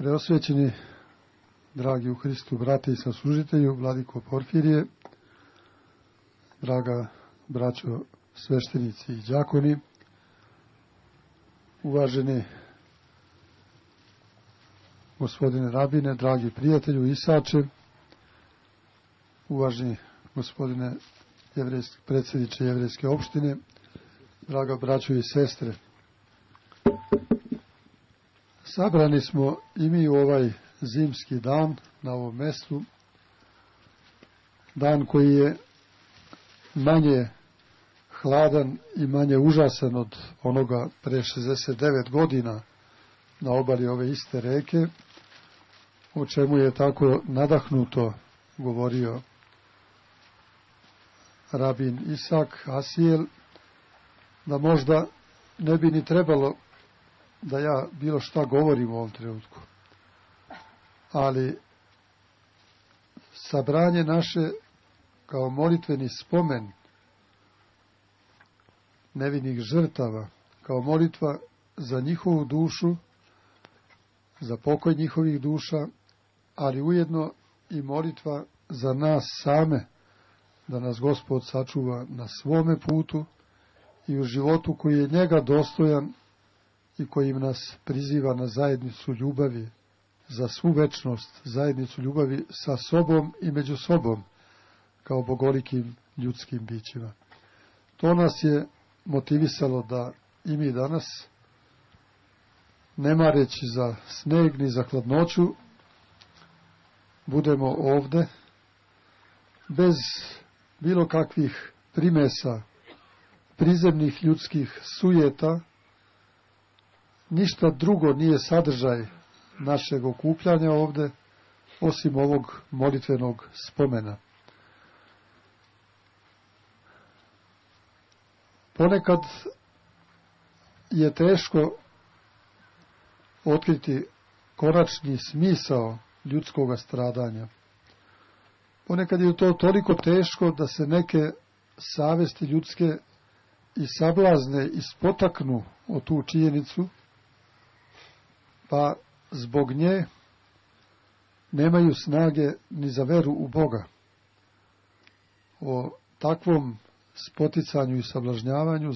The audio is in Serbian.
Preosvećeni, dragi u Hristu brate i saslužitelju, vladiko Porfirije, draga braćo sveštenici i đakoni, uvaženi gospodine rabine, dragi prijatelju Isače, uvaženi gospodine predsjedniče jevrejske opštine, draga braćo i sestre. Sabrani smo i mi u ovaj zimski dan na ovom mjestu, dan koji je manje hladan i manje užasan od onoga pre 69 godina na obali ove iste reke, o čemu je tako nadahnuto govorio rabin Isak Asijel, da možda ne bi ni trebalo da ja bilo šta govorim u ovom trenutku. Ali sabranje naše kao molitveni spomen nevinih žrtava, kao molitva za njihovu dušu, za pokoj njihovih duša, ali ujedno i molitva za nas same, da nas Gospod sačuva na svome putu i u životu koji je njega dostojan i kojim nas priziva na zajednicu ljubavi, za svu večnost, zajednicu ljubavi sa sobom i među sobom, kao bogolikim ljudskim bićima. To nas je motivisalo da i mi danas, ne mareći za sneg ni za hladnoću, budemo ovde, bez bilo kakvih primesa, prizemnih ljudskih sujeta. Ništa drugo nije sadržaj našeg okupljanja ovde, osim ovog molitvenog spomena. Ponekad je teško otkriti konačni smisao ljudskog stradanja. Ponekad je to toliko teško da se neke savesti ljudske i sablazne i spotaknu o tu činjenicu, pa zbog nje nemaju snage ni za veru u Boga. O takvom spoticanju i sablažnjavanju